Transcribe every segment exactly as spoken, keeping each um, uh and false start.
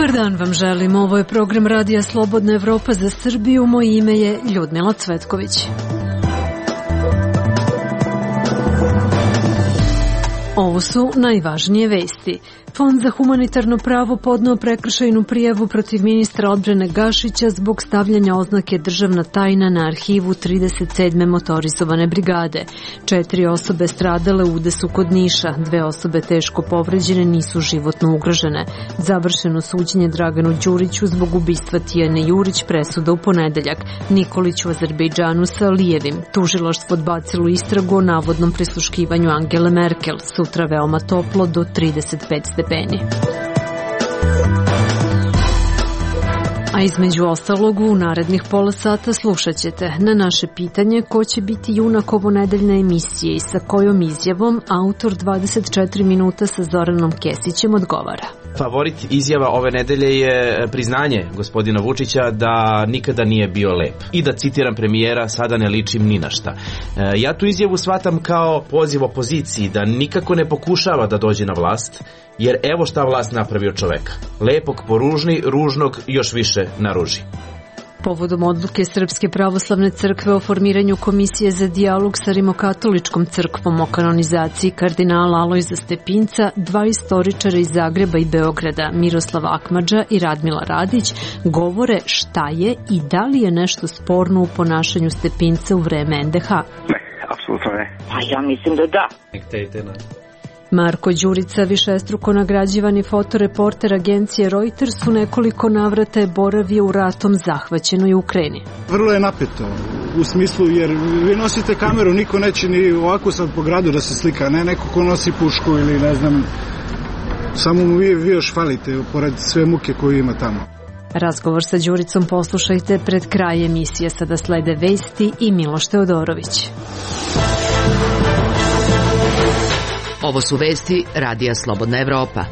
Dobar dan vam želim. Ovo je program Radija Slobodna Evropa za Srbiju. Moje ime je Ljudmila Cvetković. Ovo su najvažnije vesti. Fond za humanitarno pravo podneo prekršajnu prijavu protiv ministra odbrane Gašića zbog stavljanja oznake državna tajna na arhivu trideset sedme motorizovane brigade. Četiri osobe stradale u udesu kod Niša, dve osobe teško povređene, nisu životno ugrožene. Završeno suđenje Draganu Đuriću zbog ubistva Tijane Jurić, presuda u ponedeljak. Nikolić u Azerbejdžanu sa Alijevim. Tužilaštvo odbacilo istragu o navodnom prisluškivanju Angele Merkel. Sutra veoma toplo do trideset pet stepeni. A između ostalog u narednih pola sata slušat ćete na naše pitanje ko će biti junak ovonedeljne emisije i sa kojom izjavom autor dvadeset četiri minuta sa Zoranom Kesićem odgovara. Favorit izjava ove nedelje je priznanje gospodina Vučića da nikada nije bio lep. I da citiram premijera, sada ne ličim ni na šta. Ja tu izjavu shvatam kao poziv opoziciji da nikako ne pokušava da dođe na vlast, jer evo šta vlast napravio čoveka. Lepog poružni, ružnog još više naruži. Povodom odluke Srpske pravoslavne crkve o formiranju komisije za dijalog sa Rimokatoličkom crkvom o kanonizaciji kardinala Alojza Stepinca, dva istoričara iz Zagreba i Beograda, Miroslav Akmadža i Radmila Radić, govore šta je i da li je nešto sporno u ponašanju Stepinca u vreme en de ha. Ne, apsolutno ne. Pa ja mislim da da. Marko Đurica, višestruko nagrađivani fotoreporter agencije Reuters, u nekoliko navrata je boravio u ratom zahvaćenoj Ukrajini. Vrlo je napeto, u smislu jer vi nosite kameru, niko neće ni ovako sad po gradu da se slika, ne neko ko nosi pušku ili ne znam, samo mu vi, vi još falite pored sve muke koju ima tamo. Razgovor sa Đuricom poslušajte pred kraj emisije. Sada slede vesti i Miloš Teodorović. Ovo su vesti Radija Slobodna Evropa.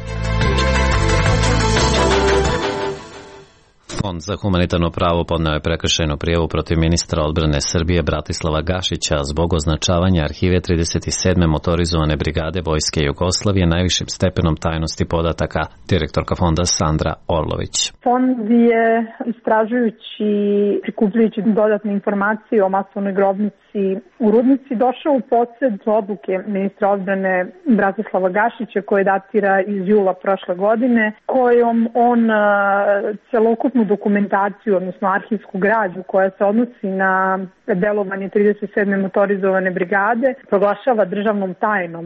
Fond za humanitarno pravo podneo je prekršajnu prijavu protiv ministra odbrane Srbije Bratislava Gašića zbog označavanja arhive trideset sedme motorizovane brigade Vojske Jugoslavije najvišim stepenom tajnosti podataka. Direktorka fonda Sandra Orlović. Fond je istražujući, prikupljujući dodatne informacije o masovnoj grobnici u Rudnici došao u posjed odluke ministra odbrane Bratislava Gašića koje datira iz jula prošle godine, kojom on celokupnu dokumentaciju, odnosno arhivsku građu koja se odnosi na delovanje trideset sedme motorizovane brigade proglašava državnom tajnom.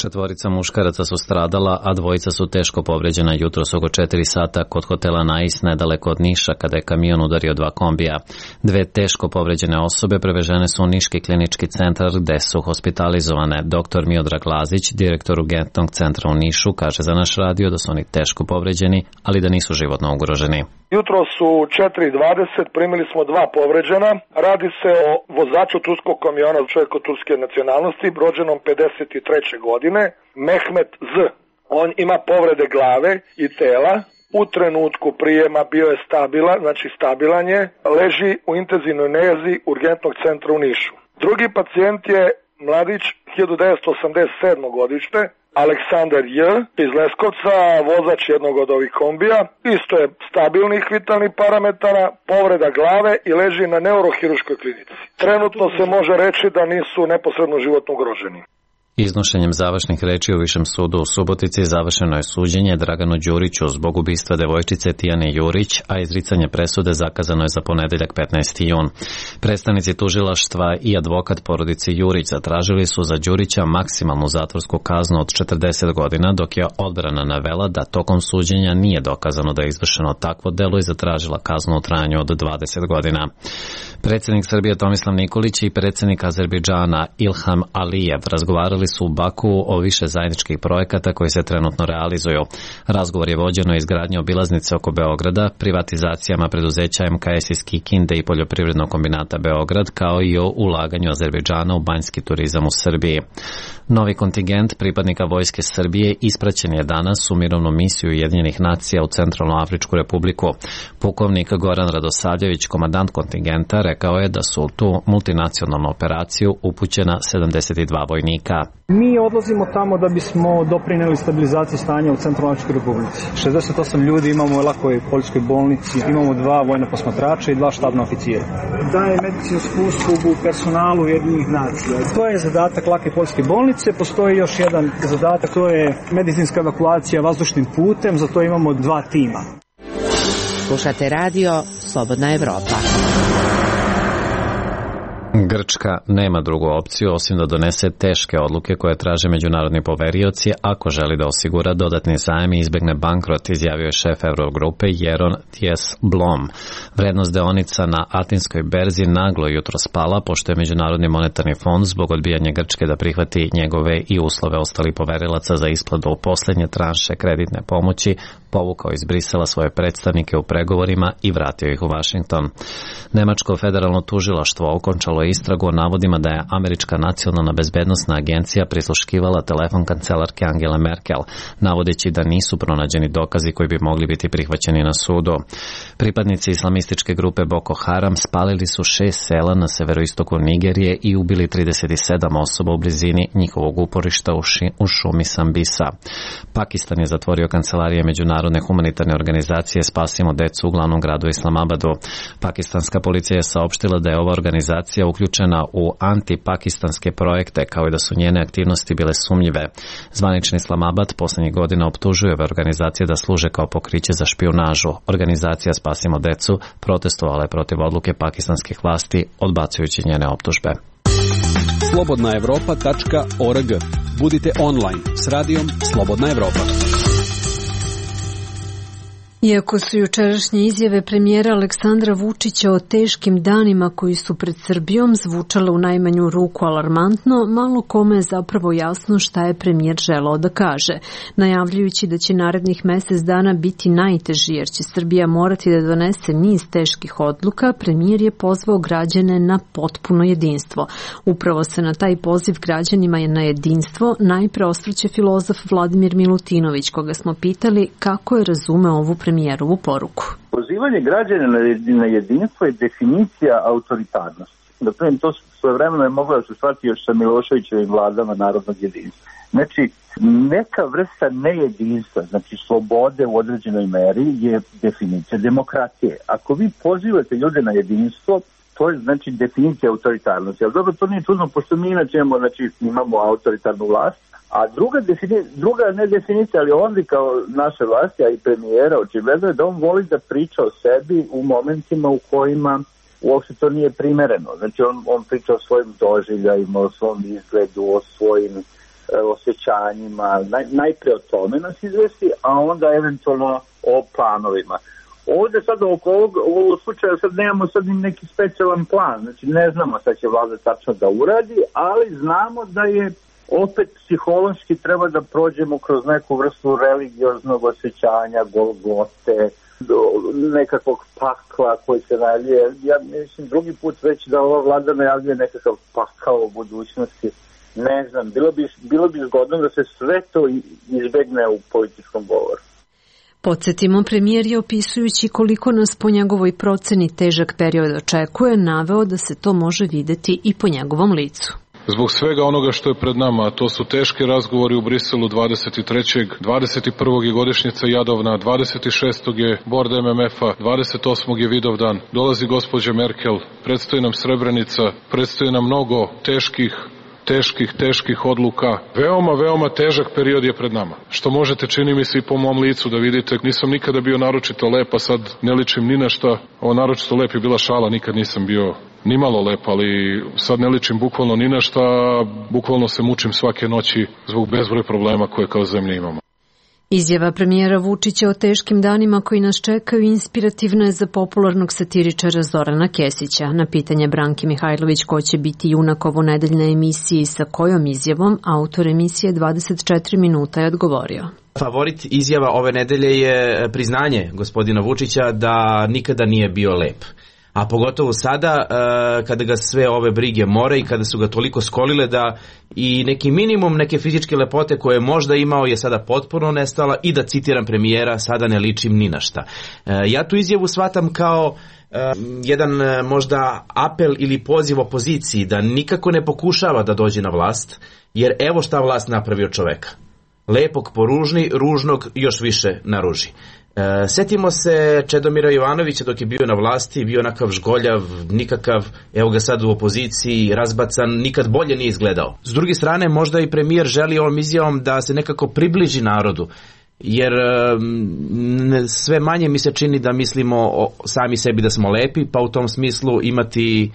Četvorica muškaraca su stradala, a dvojica su teško povređena jutros oko četiri sata kod hotela Nais nedaleko od Niša kada je kamion udario dva kombija. Dve teško povređene osobe prevežene su u Niški klinički centar gde su hospitalizovane. Doktor Miodrag Lazić, direktor urgentnog centra u Nišu, kaže za naš radio da su oni teško povređeni, ali da nisu životno ugroženi. Jutro su četiri dvadeset, primili smo dva povređena. Radi se o vozaču turskog kamiona, čovjeku turske nacionalnosti, rođenom pedeset treće godine, Mehmet Z. On ima povrede glave i tela. U trenutku prijema bio je stabilan, znači stabilan je, leži u intenzivnoj njezi urgentnog centra u Nišu. Drugi pacijent je mladić hiljadu devetsto osamdeset sedme godište, Aleksandar J. iz Leskovca, vozač jednog od ovih kombija. Isto je stabilnih vitalnih parametara, povreda glave i leži na neurohiruškoj klinici. Trenutno se može reći da nisu neposredno životno ugroženi. Iznošenjem završnih reči u Višem sudu u Subotici završeno je suđenje Draganu Đuriću zbog ubistva devojčice Tijane Jurić, a izricanje presude zakazano je za ponedeljak petnaesti jun. Predstavnici tužilaštva i advokat porodice Jurić zatražili su za Đurića maksimalnu zatvorsku kaznu od četrdeset godina, dok je odbrana navela da tokom suđenja nije dokazano da je izvršeno takvo delo i zatražila kaznu u trajanju od dvadeset godina. Predsjednik Srbije Tomislav Nikolić i predsjednik Azerbejdžana Ilham Alijev razgovarali su u Baku o više zajedničkih projekata koji se trenutno realizuju. Razgovor je vođen o izgradnji obilaznice oko Beograda, privatizacijama preduzeća em ka es iz Kikinde i Poljoprivrednog kombinata Beograd, kao i o ulaganju Azerbejdžana u banjski turizam u Srbiji. Novi kontingent pripadnika Vojske Srbije ispraćen je danas u mirovnu misiju Ujedinjenih nacija u Centralnoafričku republiku. Pukovnik Goran Radosavljević, komandant kontingenta, rekao je da su u tu multinacionalnu operaciju upućena sedamdeset dva vojnika. Mi odlazimo tamo da bismo doprineli stabilizaciji stanja u Centralnoafričkoj Republici. šezdeset osam ljudi imamo u Lakoj poljskoj bolnici, imamo dva vojna posmatrača i dva štabna oficijera. Daje medicinsku uslugu personalu Ujedinjenih nacija. To je zadatak Lake poljske bolnice. Postoji još jedan zadatak, to je medicinska evakuacija vazdušnim putem, za to imamo dva tima. Slušate radio Slobodna Evropa. Grčka nema drugu opciju osim da donese teške odluke koje traže međunarodni poverioci ako želi da osigura dodatni zajam i izbegne bankrot, izjavio je šef Eurogrupe Jeron Dijsselbloem. Vrednost deonica na Atinskoj berzi naglo jutro spala pošto je Međunarodni monetarni fond zbog odbijanja Grčke da prihvati njegove i uslove ostalih poverilaca za isplatu u posljednje tranše kreditne pomoći povukao iz Brisela svoje predstavnike u pregovorima i vratio ih u Washington. Nemačko federalno tužilaštvo okončalo je istragu o navodima da je Američka nacionalna bezbednosna agencija prisluškivala telefon kancelarke Angele Merkel, navodeći da nisu pronađeni dokazi koji bi mogli biti prihvaćeni na sudu. Pripadnici islamističke grupe Boko Haram spalili su šest sela na severoistoku Nigerije i ubili trideset sedam osoba u blizini njihovog uporišta u, ši, u šumi Sambisa. Pakistan je zatvorio kancelarije Međunarodne humanitarne organizacije Spasimo decu u glavnom gradu Islamabadu. Pakistanska policija je saopštila da je ova organizacija uključena u antipakistanske projekte, kao i da su njene aktivnosti bile sumnjive. Zvanični Islamabad poslednjih godina optužuje ove organizacije da služe kao pokriće za špijunažu. Organizacija Spasimo decu protestovala je protiv odluke pakistanskih vlasti, odbacujući njene optužbe. slobodna evropa tačka org. Budite online s radijom Slobodna Evropa. Iako su jučerašnje izjave premijera Aleksandra Vučića o teškim danima koji su pred Srbijom zvučale u najmanju ruku alarmantno, malo kome je zapravo jasno šta je premijer želeo da kaže. Najavljujući da će narednih mesec dana biti najteži jer će Srbija morati da donese niz teških odluka, premijer je pozvao građane na potpuno jedinstvo. Upravo se na taj poziv građanima je na jedinstvo najpre osvrće filozof Vladimir Milutinović, koga smo pitali kako je razumeo ovu premijeru. Premijerovu poruku. Pozivanje građana na jedinstvo je definicija autoritarnosti. Dakle, to svojevremeno je moglo da se shvati još sa Miloševićevim vladama narodnog jedinstva. Znači, neka vrsta nejedinstva, znači slobode u određenoj meri je definicija demokratije. Ako vi pozivate ljude na jedinstvo, to je znači definicija autoritarnosti. Ali dobro, to nije čudno, pošto mi inače imamo, znači, imamo autoritarnu vlast. A druga, defini, druga ne definicija, ali on kao naše vlasti, a i premijera, očigledno je da on voli da priča o sebi u momentima u kojima uopšte to nije primereno. Znači on, on priča o svojim doživljajima, o svom izgledu, o svojim e, osjećanjima, Naj, najpre o tome nas izvesti, a onda eventualno o planovima. Ovdje sad oko ovog, ovog slučaja sad nemamo sad neki specijalan plan, znači ne znamo šta će vlada tačno da uradi, ali znamo da je opet psihološki treba da prođemo kroz neku vrstu religioznog osjećanja, golgote, nekakvog pakla koji se najavljuje. Ja mislim drugi put već da ova vlada najavljuje nekakav pakao u budućnosti. Ne znam, bilo bi, bilo bi zgodno da se sve to izbegne u političkom govoru. Podsjetimo, premijer je opisujući koliko nas po njegovoj proceni težak period očekuje, naveo da se to može videti i po njegovom licu. Zbog svega onoga što je pred nama, a to su teški razgovori u Briselu dvadeset trećeg dvadeset prvog je godišnjica Jadovna, dvadeset šestog je Bord em em ef-a, dvadeset osmog je Vidovdan, dolazi gospođa Merkel, predstoji nam Srebrenica, predstoji nam mnogo teških, teških, teških odluka. Veoma, veoma težak period je pred nama. Što možete, čini mi se, i po mom licu da vidite, nisam nikada bio naročito lep, a sad ne ličim ni na šta. Ovo naročito lep je bila šala, nikad nisam bio ni malo lep, ali sad ne ličim bukvalno ni na šta, bukvalno se mučim svake noći zbog bezbroj problema koje kao zemlja imamo. Izjava premijera Vučića o teškim danima koji nas čekaju inspirativna je za popularnog satiričara Zorana Kesića. Na pitanje Branke Mihajlović ko će biti junak ovo nedeljne emisije i sa kojom izjavom, autor emisije dvadeset četiri minuta je odgovorio. Favorit izjava ove nedelje je priznanje gospodina Vučića da nikada nije bio lep. A pogotovo sada kada ga sve ove brige more i kada su ga toliko skolile da i neki minimum neke fizičke lepote koje je možda imao je sada potpuno nestala i da citiram premijera, sada ne ličim ni na šta. Ja tu izjavu shvatam kao jedan možda apel ili poziv opoziciji da nikako ne pokušava da dođe na vlast, jer evo šta vlast napravi od čoveka. Lepog poružni, ružnog još više naruži. E, setimo se Čedomira Jovanovića dok je bio na vlasti, bio onakav žgoljav, nikakav, evo ga sad u opoziciji, razbacan, nikad bolje nije izgledao. S druge strane, možda i premijer želi ovom izjavom da se nekako približi narodu, jer e, sve manje mi se čini da mislimo o sami sebi da smo lepi, pa u tom smislu imati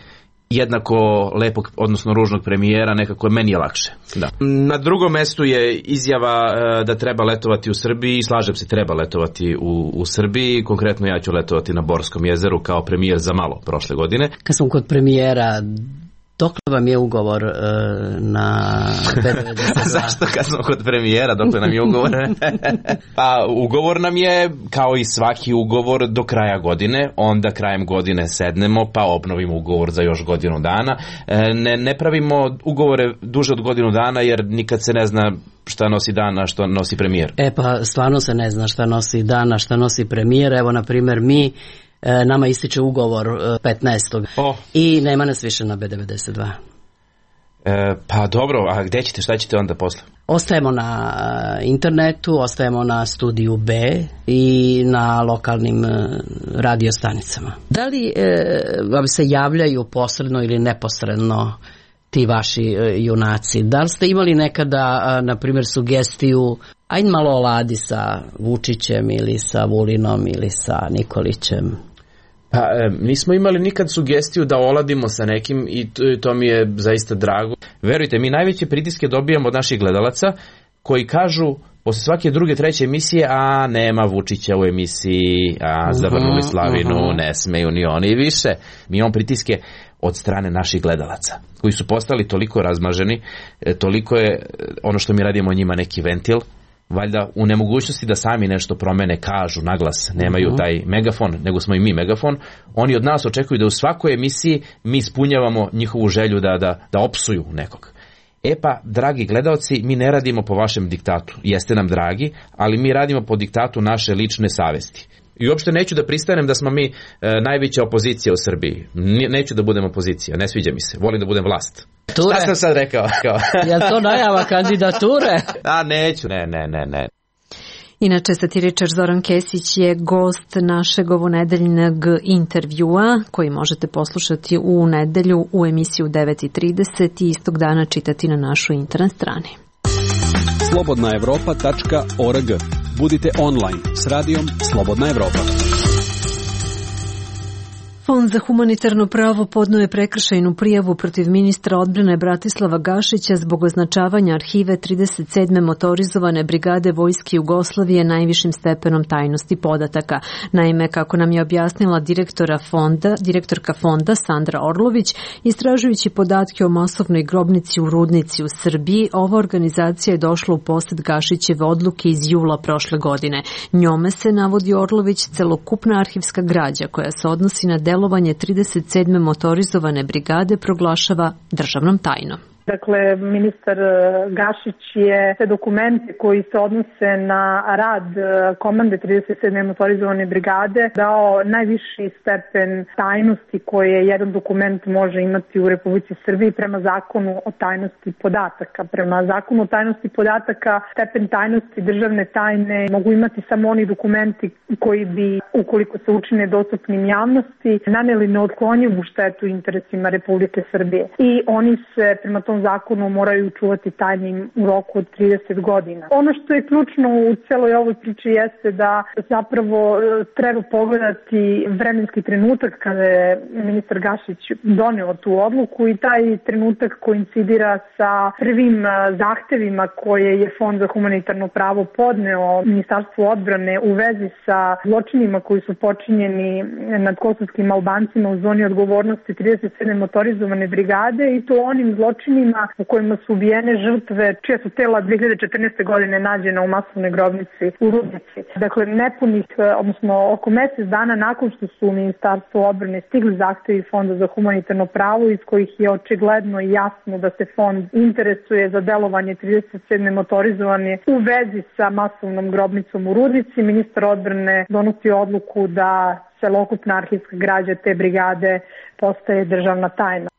jednako lepog, odnosno ružnog premijera, nekako meni je lakše. Da. Na drugom mestu je izjava e, da treba letovati u Srbiji, slažem se, treba letovati u, u Srbiji, konkretno ja ću letovati na Borskom jezeru kao premijer za malo prošle godine. Kad sam kod premijera, dokle vam je ugovor e, na B devedeset dva? Zašto kad smo kod premijera, dokle nam je ugovor? Pa ugovor nam je, kao i svaki ugovor, do kraja godine, onda krajem godine sednemo pa obnovimo ugovor za još godinu dana. E, ne, ne pravimo ugovore duže od godinu dana jer nikad se ne zna šta nosi dan, a što nosi premijer. E pa stvarno se ne zna šta nosi dan, a šta nosi premijer. Evo na primjer mi, nama ističe ugovor petnaestog Oh. i nema nas više na B devedeset dva. E, pa dobro, a gdje ćete, šta ćete onda posle? Ostajemo na internetu, ostajemo na studiju B i na lokalnim radio stanicama. Da li e, vam se javljaju posredno ili neposredno ti vaši e, junaci? Da li ste imali nekada, na primjer, sugestiju ajde malo oladi sa Vučićem ili sa Vulinom ili sa Nikolićem? Pa e, nismo imali nikad sugestiju da oladimo sa nekim i to, to mi je zaista drago. Verujte, mi najveće pritiske dobijamo od naših gledalaca koji kažu posle svake druge, treće emisije, a nema Vučića u emisiji, a zavrnuli slavinu, uh-huh. ne smeju ni oni više. Mi imamo pritiske od strane naših gledalaca koji su postali toliko razmaženi, toliko je ono što mi radimo njima neki ventil, valjda u nemogućnosti da sami nešto promene, kažu naglas, nemaju taj megafon, nego smo i mi megafon. Oni od nas očekuju da u svakoj emisiji mi ispunjavamo njihovu želju da, da, da opsuju nekog. E pa, dragi gledaoci, mi ne radimo po vašem diktatu. Jeste nam dragi, ali mi radimo po diktatu naše lične savesti. I uopšte neću da pristanem da smo mi e, najveća opozicija u Srbiji. Neću da budem opozicija, ne sviđa mi se. Volim da budem vlast. Ture. Šta sam sad rekao? Je to najava kandidature? A neću, ne, ne, ne, ne. Inače, satiričar Zoran Kesić je gost našeg ovonedeljnog intervjua koji možete poslušati u nedelju u emisiju devet i trideset i istog dana čitati na našoj internet strani. slobodna evropa tačka org. Budite online s radijom Slobodna Evropa. Fond za humanitarno pravo podneo je prekršajnu prijavu protiv ministra odbrane Bratislava Gašića zbog označavanja arhive trideset sedme motorizovane brigade Vojske Jugoslavije najvišim stepenom tajnosti podataka. Naime, kako nam je objasnila direktora fonda, direktorka fonda Sandra Orlović, istražujući podatke o masovnoj grobnici u Rudnici u Srbiji, ova organizacija je došla u posed Gašićeve odluke iz jula prošle godine. Njome se, navodi Orlović, celokupna arhivska građa koja se odnosi na delovanje trideset sedme motorizovane brigade proglašava državnom tajnom. Dakle, ministar Gašić je sve dokumente koji se odnose na rad komande trideset sedme motorizovane brigade dao najviši stepen tajnosti koje jedan dokument može imati u Republici Srbiji prema zakonu o tajnosti podataka. Prema zakonu o tajnosti podataka stepen tajnosti državne tajne mogu imati samo oni dokumenti koji bi, ukoliko se učine dostupnim javnosti, naneli neotklonjivu štetu interesima Republike Srbije. I oni se prema tom zakonu moraju čuvati tajnim u roku od trideset godina. Ono što je ključno u celoj ovoj priči jeste da zapravo treba pogledati vremenski trenutak kada je ministar Gašić doneo tu odluku i taj trenutak koincidira sa prvim zahtevima koje je Fond za humanitarno pravo podneo Ministarstvu odbrane u vezi sa zločinima koji su počinjeni nad kosovskim Albancima u zoni odgovornosti trideset sedme motorizovane brigade i to onim zločinima zločinima u kojima su ubijene žrtve, čija su tela dve hiljade četrnaeste. godine nađena u masovnoj grobnici u Rudnici. Dakle, nepunih, odnosno oko mesec dana nakon što su u Ministarstvo odbrane stigli zahtevi Fonda za humanitarno pravo, iz kojih je očigledno i jasno da se fond interesuje za delovanje trideset sedme motorizovane u vezi sa masovnom grobnicom u Rudnici, ministar odbrane donosi odluku da celokupna arhivska građa te brigade postaje državna tajna.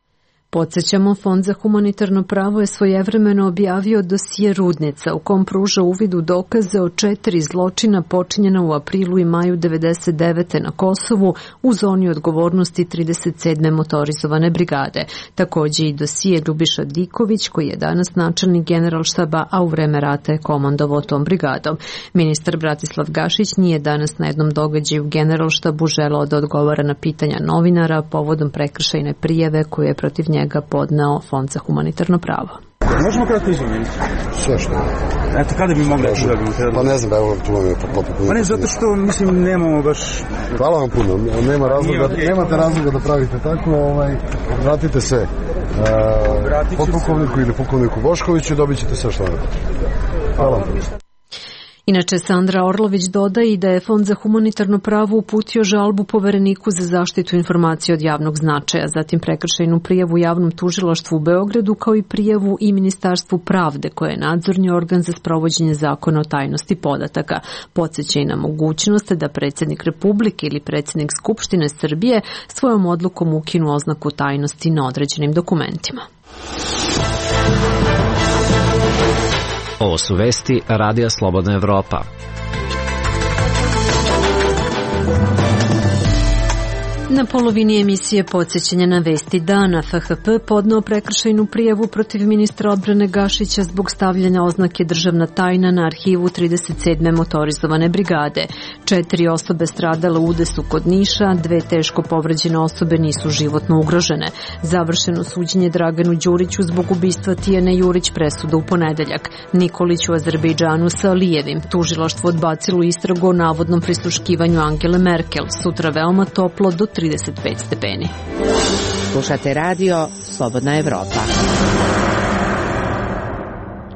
Podsećamo, Fond za humanitarno pravo je svojevremeno objavio dosije Rudnica u kom pruža uvid u dokaze o četiri zločina počinjena u aprilu i maju devedeset devete. na Kosovu u zoni odgovornosti trideset sedme motorizovane brigade. Takođe i dosije Ljubiša Diković, koji je danas načelnik Generalštaba, a u vreme rata je komandovao tom brigadom. Ministar Bratislav Gašić nije danas na jednom događaju u Generalštabu želeo da odgovara na pitanja novinara povodom prekršajne prijave koju je protiv njega njega podneo Fond za humanitarno pravo. Možemo kratko izvojiti? Sve što? Eto, kada bi mogli da dobijemo? Pa ne znam, evo tu vam je poput. Pa ne, zato što, mislim, nemamo baš... Hvala vam puno, nema razloga, okay. Nemate razloga da pravite tako, ovaj, vratite se uh, podpukovniku ili pukovniku Boškoviću i dobit ćete sve što vam. Hvala vam puno. Inače, Sandra Orlović dodaje i da je Fond za humanitarno pravo uputio žalbu Povereniku za zaštitu informacija od javnog značaja, zatim prekršajnu prijavu javnom tužilaštvu u Beogradu, kao i prijavu i Ministarstvu pravde, koje je nadzorni organ za sprovođenje zakona o tajnosti podataka. Podseća i na mogućnost da predsjednik Republike ili predsjednik Skupštine Srbije svojom odlukom ukinu oznaku tajnosti na određenim dokumentima. Ovo su vesti Radija Slobodna Evropa. Na polovini emisije podsjećanja na vesti dana F H P podneo prekršajnu prijavu protiv ministra odbrane Gašića zbog stavljanja oznake državna tajna na arhivu trideset sedme motorizovane brigade. Četiri osobe stradale u udesu kod Niša, dve teško povređene osobe nisu životno ugrožene. Završeno suđenje Draganu Đuriću zbog ubistva Tijane Jurić, presuda u ponedeljak. Nikolić u Azerbejdžanu sa Alijevim. Tužilaštvo odbacilo istragu o navodnom prisluškivanju Angele Merkel. Sutra veoma toplo do trideset pet stepeni. Slušate radio Slobodna Evropa.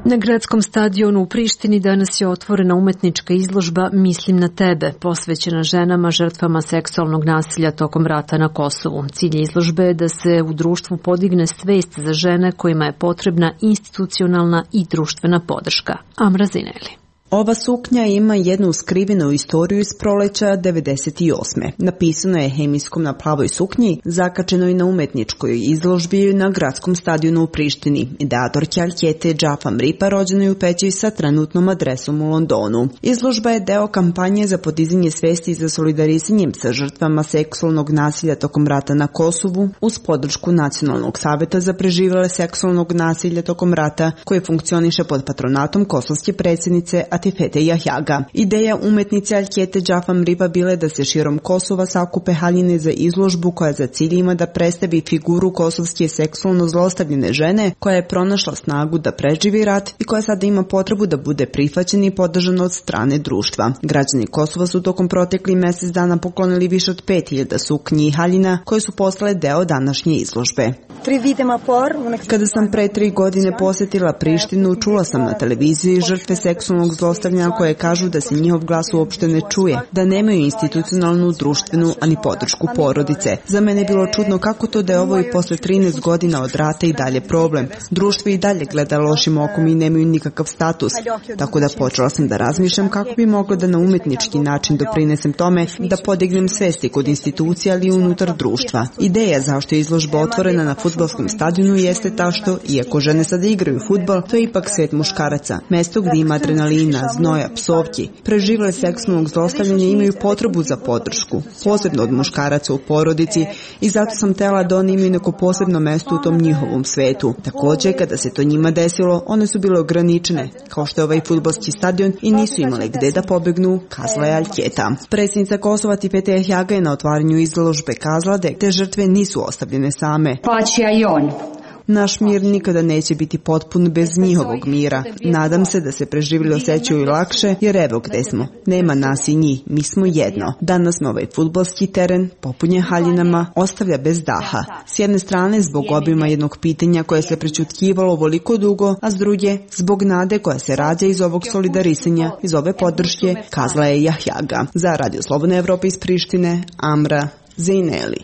Na gradskom stadionu u Prištini danas je otvorena umetnička izložba Mislim na tebe, posvećena ženama žrtvama seksualnog nasilja tokom rata na Kosovu. Cilj izložbe je da se u društvu podigne svest za žene kojima je potrebna institucionalna i društvena podrška. Amra Zineli. Ova suknja ima jednu skrivenu istoriju iz proleća devedeset osme. Napisano je hemijskom na plavoj suknji, zakačenoj na umetničkoj izložbi na gradskom stadionu u Prištini. Ideatorka Aljkete Džafam Ripa rođena je u Peći sa trenutnom adresom u Londonu. Izložba je deo kampanje za podizanje svesti za solidarisanjem sa žrtvama seksualnog nasilja tokom rata na Kosovu uz podršku Nacionalnog saveta za preživele seksualnog nasilja tokom rata, koje funkcioniše pod patronatom kosovske predsjednice Atifete Jahjaga. Ideja umetnice Aljkete Džafam Riba bile da se širom Kosova sakupe haljine za izložbu koja za cilj ima da predstavi figuru kosovske seksualno zlostavljene žene koja je pronašla snagu da preživi rat i koja sada ima potrebu da bude prihvaćena i podržana od strane društva. Građani Kosova su tokom protekli mjesec dana poklonili više od pet hiljada suknji i haljina koje su postale deo današnje izložbe. Kada sam pre tri godine posjetila Prištinu, čula sam na televiziji žrtve seksualnog zlostavljanja koje kažu da se njihov glas uopšte ne čuje, da nemaju institucionalnu, društvenu, ani podršku porodice. Za mene je bilo čudno kako to da je ovo i posle trinaest godina od rata i dalje problem. Društvo i dalje gleda lošim okom i nemaju nikakav status. Tako da počela sam da razmišljam kako bi mogla da na umetnički način doprinesem tome da podignem svesti kod institucija, ali i unutar društva. Ideja zašto je izložba otvorena na fudbalskom stadionu jeste ta što, iako žene sada igraju fudbal, to je ipak svet muškaraca. Mesto gdje ima adrenalina, znoja, psovki. Preživele seksualnog zlostavljanja imaju potrebu za podršku, posebno od muškaraca u porodici, i zato sam tela da oni imaju neko posebno mesto u tom njihovom svetu. Također, kada se to njima desilo, one su bile ograničene, kao što je ovaj fudbalski stadion, i nisu imale gde da pobegnu, kazala je Aljketa. Predsjednica Kosova Atifete Jahjaga je na otvaranju izložbe kazala da te žrtve nisu ostavljene same. Naš mir nikada neće biti potpun bez njihovog mira. Nadam se da se preživjeli osjećaju lakše, jer evo gde smo. Nema nas i njih, mi smo jedno. Danas me ovaj fudbalski teren, popunjen haljinama, ostavlja bez daha. S jedne strane zbog obima jednog pitanja koje se prećutkivalo ovoliko dugo, a s druge zbog nade koja se rađa iz ovog solidarisanja, iz ove podrške, kazala je Jahjaga. Za Radio Slobodna Evropa iz Prištine, Amra Zejneli.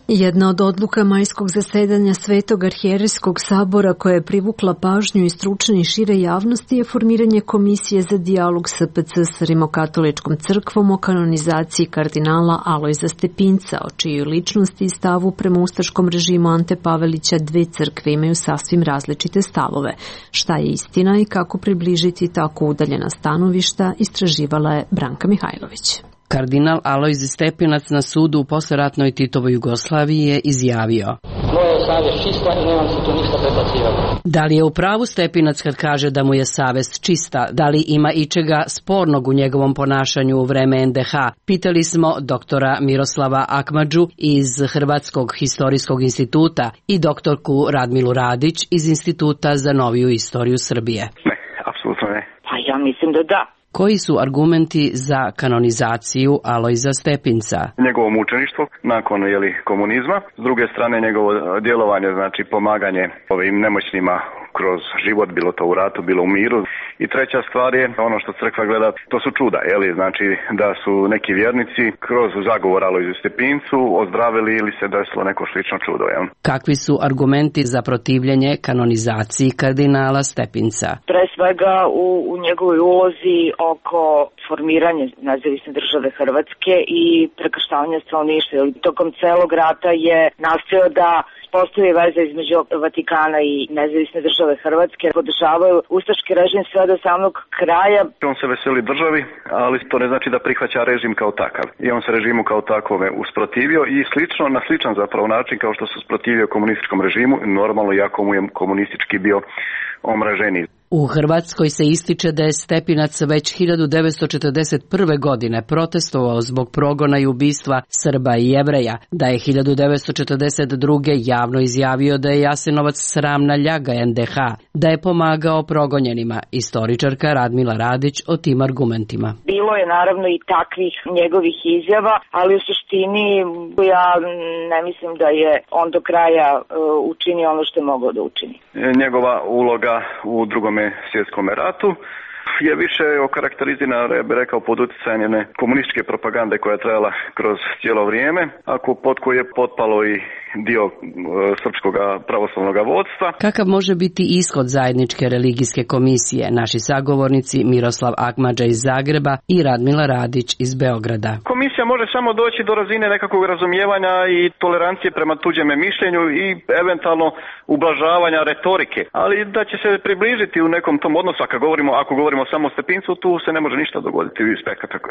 Jedna od odluka majskog zasedanja Svetog arhijerejskog sabora koja je privukla pažnju i stručne i šire javnosti je formiranje komisije za dijalog S P C s Rimokatoličkom crkvom o kanonizaciji kardinala Alojza Stepinca, o čijoj ličnosti i stavu prema ustaškom režimu Ante Pavelića dve crkve imaju sasvim različite stavove. Šta je istina i kako približiti tako udaljena stanovišta, istraživala je Branka Mihajlović. Kardinal Alojz Stepinac na sudu u posleratnoj Titovoj Jugoslaviji je izjavio: Moja je savjest čista i nemam se tu ništa prebacivati. Da li je u pravu Stepinac kad kaže da mu je savjest čista? Da li ima ičega spornog u njegovom ponašanju u vreme N D H? Pitali smo doktora Miroslava Akmadžu iz Hrvatskog historijskog instituta i doktorku Radmilu Radić iz Instituta za noviju istoriju Srbije. Ne, apsolutno ne. Pa ja mislim da da. Koji su argumenti za kanonizaciju Alojza Stepinca? Njegovo mučeništvo nakon jeli, komunizma, s druge strane njegovo djelovanje, znači pomaganje ovim nemoćnima kroz život, bilo to u ratu, bilo u miru. I treća stvar je ono što crkva gleda, to su čuda, jeli, znači da su neki vjernici kroz zagovor Alojzu Stepincu ozdravili ili se desilo neko slično čudo. Jel? Kakvi su argumenti za protivljenje kanonizaciji kardinala Stepinca? Pre svega u, u njegovoj ulozi oko formiranja nezavisne države Hrvatske i prekrštavanja stanovništva. Tokom celog rata je nastojao da postoji veza između Vatikana i nezavisne države Hrvatske. Podržavaju ustaški režim sve do samog kraja. On se veseli državi, ali to ne znači da prihvaća režim kao takav. I on se režimu kao takvome usprotivio i slično, na sličan zapravo način kao što se usprotivio komunističkom režimu, normalno iako mu je komunistički bio omraženiji. U Hrvatskoj se ističe da je Stepinac već hiljadu devetsto četrdeset prve. godine protestovao zbog progona i ubistva Srba i Jevreja, da je hiljadu devetsto četrdeset druge. javno izjavio da je Jasenovac sramna ljaga N D H, da je pomagao progonjenima. Istoričarka Radmila Radić o tim argumentima. Bilo je naravno i takvih njegovih izjava, ali u suštini ja ne mislim da je on do kraja uh, učinio ono što je mogao da učini. Njegova uloga u drugome svjetskom ratu je više okarakterizirana, ja bih rekao, pod utjecajem jedne komunističke propagande koja je trajala kroz cijelo vrijeme, ako pod koju je potpalo i dio e, srpskog pravoslavnog vodstva. Kakav može biti ishod zajedničke religijske komisije? Naši sagovornici Miroslav Akmadža iz Zagreba i Radmila Radić iz Beograda. Komisija može samo doći do razine nekakvog razumijevanja i tolerancije prema tuđem mišljenju i eventualno ublažavanja retorike, ali da će se približiti u nekom tom odnosu, ako govorimo, ako govorimo samo o Stepincu, tu se ne može ništa dogoditi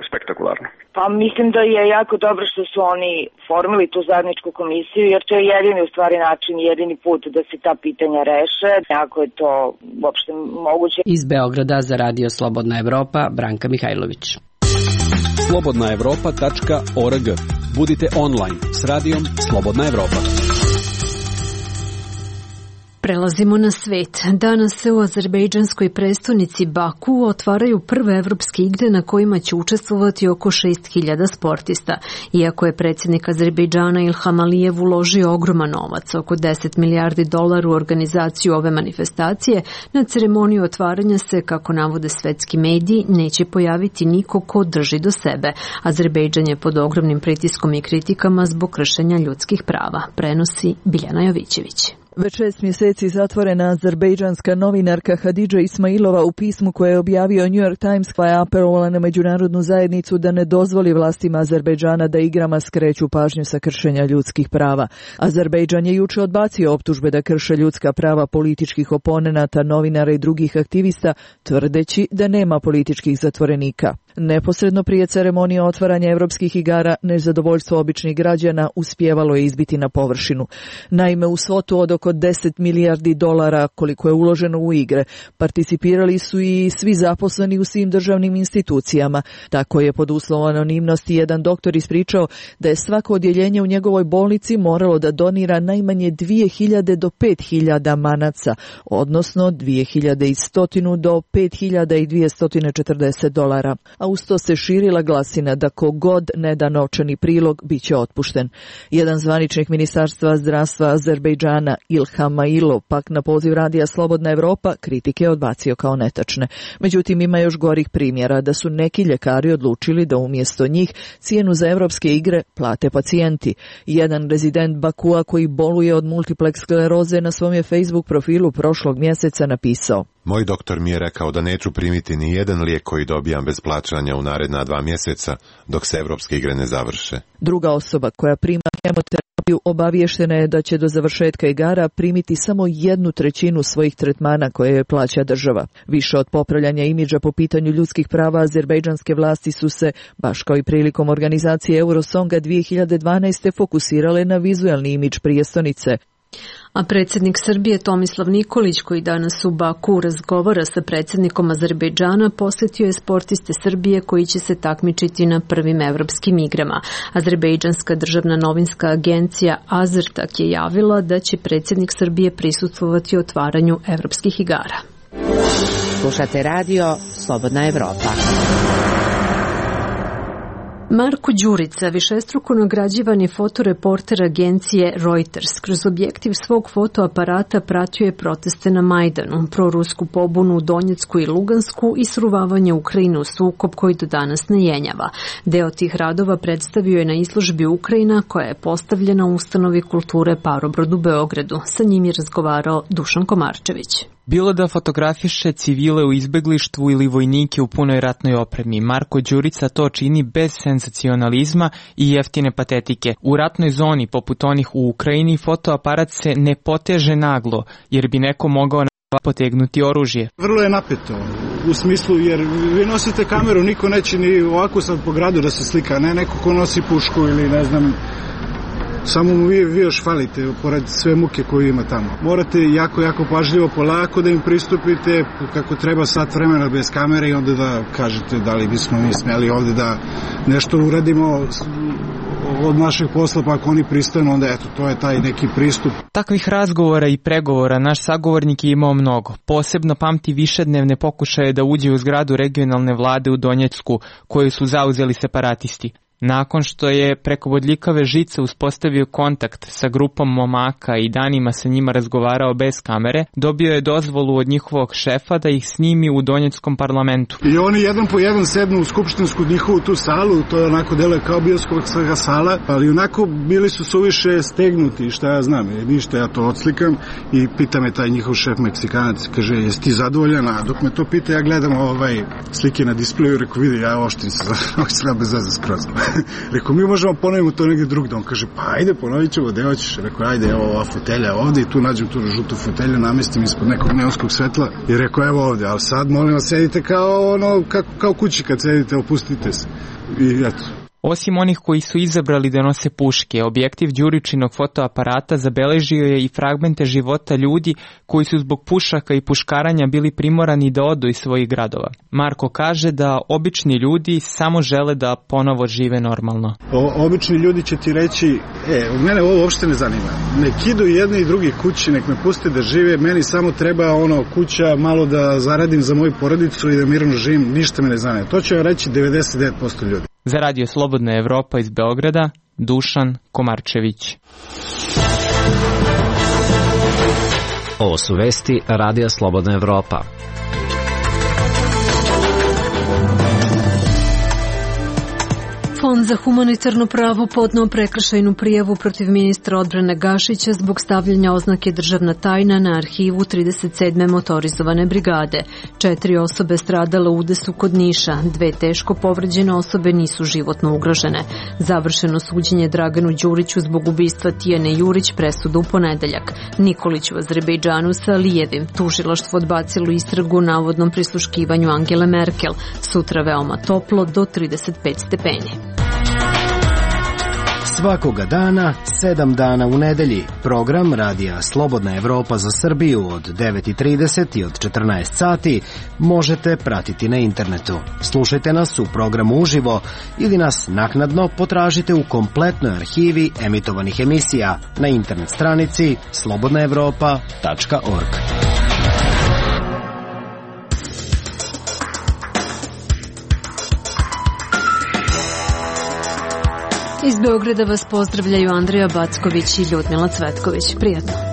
spektakularno. Pa mislim da je jako dobro što su oni formili tu zajedničku komisiju, jer to je jedini u stvari način, jedini put da se ta pitanja reše, ako je to uopšte moguće. Iz Beograda za Radio Slobodna Evropa, Branka Mihajlović. slobodna evropa tačka org. Budite online s radijom Slobodna Evropa. Prelazimo na svet. Danas se u azerbejdžanskoj prestonici Baku otvaraju prve evropske igre na kojima će učestvovati oko šest hiljada sportista. Iako je predsjednik Azerbejdžana Ilham Alijev uložio ogroman novac, oko deset milijardi dolara u organizaciju ove manifestacije, na ceremoniju otvaranja se, kako navode svetski mediji, neće pojaviti niko ko drži do sebe. Azerbejdžan je pod ogromnim pritiskom i kritikama zbog kršenja ljudskih prava, prenosi Biljana Jovićević. Već šest mjeseci zatvorena azerbejdžanska novinarka Hadidža Ismailova u pismu koje je objavio New York Times je apelovala na međunarodnu zajednicu da ne dozvoli vlastima Azerbejdžana da igrama skreću pažnju sa kršenja ljudskih prava. Azerbejdžan je juče odbacio optužbe da krše ljudska prava političkih oponenata, novinara i drugih aktivista, tvrdeći da nema političkih zatvorenika. Neposredno prije ceremonije otvaranja evropskih igara, nezadovoljstvo običnih građana uspjevalo je izbiti na površinu. Naime, u svotu od oko deset milijardi dolara koliko je uloženo u igre, participirali su i svi zaposleni u svim državnim institucijama. Tako je pod uslovom anonimnosti jedan doktor ispričao da je svako odjeljenje u njegovoj bolnici moralo da donira najmanje dvije hiljade do pet hiljada manaca, odnosno dvije hiljade sto do pet hiljada dvjesto četrdeset dolara. A uz to se širila glasina da kogod ne da novčani prilog bit će otpušten. Jedan zvaničnik Ministarstva zdravstva Azerbejdžana Ilham Mailov pak na poziv radija Slobodna Evropa kritike odbacio kao netačne. Međutim, ima još gorih primjera da su neki ljekari odlučili da umjesto njih cijenu za evropske igre plate pacijenti. Jedan rezident Bakua koji boluje od multipleks skleroze na svom je Facebook profilu prošlog mjeseca napisao: Moj doktor mi je rekao da neću primiti ni jedan lijek koji dobijam bez plaćanja u naredna dva mjeseca dok se evropske igre ne završe. Druga osoba koja prima hemoterapiju obavještena je da će do završetka igara primiti samo jednu trećinu svojih tretmana koje je plaća država. Više od popravljanja imidža po pitanju ljudskih prava azerbejdžanske vlasti su se, baš kao i prilikom organizacije Eurosonga dvije hiljade dvanaeste. fokusirale na vizualni imidž prijestolnice. A predsjednik Srbije Tomislav Nikolić, koji danas u Baku razgovara sa predsjednikom Azerbejdžana, posjetio je sportiste Srbije koji će se takmičiti na prvim evropskim igrama. Azerbejdžanska državna novinska agencija Azertak je javila da će predsjednik Srbije prisustvovati otvaranju evropskih igara. Slušate radio Slobodna Evropa. Marko Đurica, višestruko nagrađivani fotoreporter agencije Reuters, kroz objektiv svog fotoaparata pratio je proteste na Majdanu, prorusku pobunu u Donjecku i Lugansku i sruvavanje Ukrajine u sukob koji do danas ne jenjava. Deo tih radova predstavio je na izložbi Ukrajina koja je postavljena u ustanovi kulture Parobrod u Beogradu. Sa njim je razgovarao Dušan Komarčević. Bilo da fotografiše civile u izbeglištvu ili vojnike u punoj ratnoj opremi, Marko Đurica to čini bez senzacionalizma i jeftine patetike. U ratnoj zoni, poput onih u Ukrajini, fotoaparat se ne poteže naglo, jer bi neko mogao na potegnuti oružje. Vrlo je napeto, u smislu jer vi nosite kameru, niko neće ni ovako sad po gradu da se slika, ne neko ko nosi pušku ili ne znam, samo mu vi, vi još falite pored sve muke koju ima tamo. Morate jako, jako pažljivo, polako da im pristupite, kako treba sat vremena bez kamere i onda da kažete da li bismo mi smjeli ovdje da nešto uradimo od našeg posla, pa ako oni pristanu, onda eto, to je taj neki pristup. Takvih razgovora i pregovora naš sagovornik je imao mnogo. Posebno pamti višednevne pokušaje da uđe u zgradu regionalne vlade u Donjecku, koju su zauzeli separatisti. Nakon što je preko bodljikave žice uspostavio kontakt sa grupom momaka i danima sa njima razgovarao bez kamere, dobio je dozvolu od njihovog šefa da ih snimi u Donjeckom parlamentu. I oni jedan po jedan sednu u skupštinsku njihovu tu salu, to je onako deluje kao bioskopska sala, ali onako bili su suviše stegnuti, šta ja znam, ništa, ja to odslikam i pita me taj njihov šef Meksikanac, kaže, jesi ti zadovoljan? A dok me to pita, ja gledam ovaj slike na displeju, rekao, vidi, ja oštrim se, oštrim bez veze skroz. Rekao, mi možemo ponovimo to negdje drugdje. On kaže, pa ajde, ponovit ćemo, gde hoćeš? Rekao, ajde, evo ova fotelja ovdje i tu nađem tu žutu fotelju, namestim ispod nekog neonskog svetla i rekao, evo ovdje, ali sad molim vas, sedite kao ono, kao, kao kući kad sedite, opustite se. I eto. Osim onih koji su izabrali da nose puške, objektiv Đuričinog fotoaparata zabeležio je i fragmente života ljudi koji su zbog pušaka i puškaranja bili primorani da odu iz svojih gradova. Marko kaže da obični ljudi samo žele da ponovo žive normalno. O, obični ljudi će ti reći, e, mene ovo uopšte ne zanima. Nek idu jedni i drugi kući, nek me puste da žive, meni samo treba ono kuća, malo da zaradim za moju porodicu i da mirno živim, ništa me ne zanima. To će reći devedeset devet posto ljudi. Za radio Slobodna Evropa iz Beograda, Dušan Komarčević. Ovo su vesti radija Slobodna Evropa. Fond za humanitarno pravo podneo prekršajnu prijavu protiv ministra odbrane Gašića zbog stavljanja oznake državna tajna na arhivu trideset sedme motorizovane brigade. Četiri osobe stradale u udesu kod Niša, dve teško povređene osobe nisu životno ugrožene. Završeno suđenje Draganu Đuriću zbog ubistva Tijane Jurić presuda u ponedeljak. Nikolić u Azerbejdžanu sa Alijevim. Tužilaštvo odbacilo istragu o navodnom prisluškivanju Angele Merkel. Sutra veoma toplo do trideset pet stepeni. Svakoga dana, sedam dana u nedelji. Program Radija Slobodna Evropa za Srbiju od devet i trideset i od četrnaest sati možete pratiti na internetu. Slušajte nas u programu uživo ili nas naknadno potražite u kompletnoj arhivi emitovanih emisija na internet stranici slobodna evropa tačka org. Iz Beograda vas pozdravljaju Andrija Backović i Ljudmila Cvetković. Prijatno.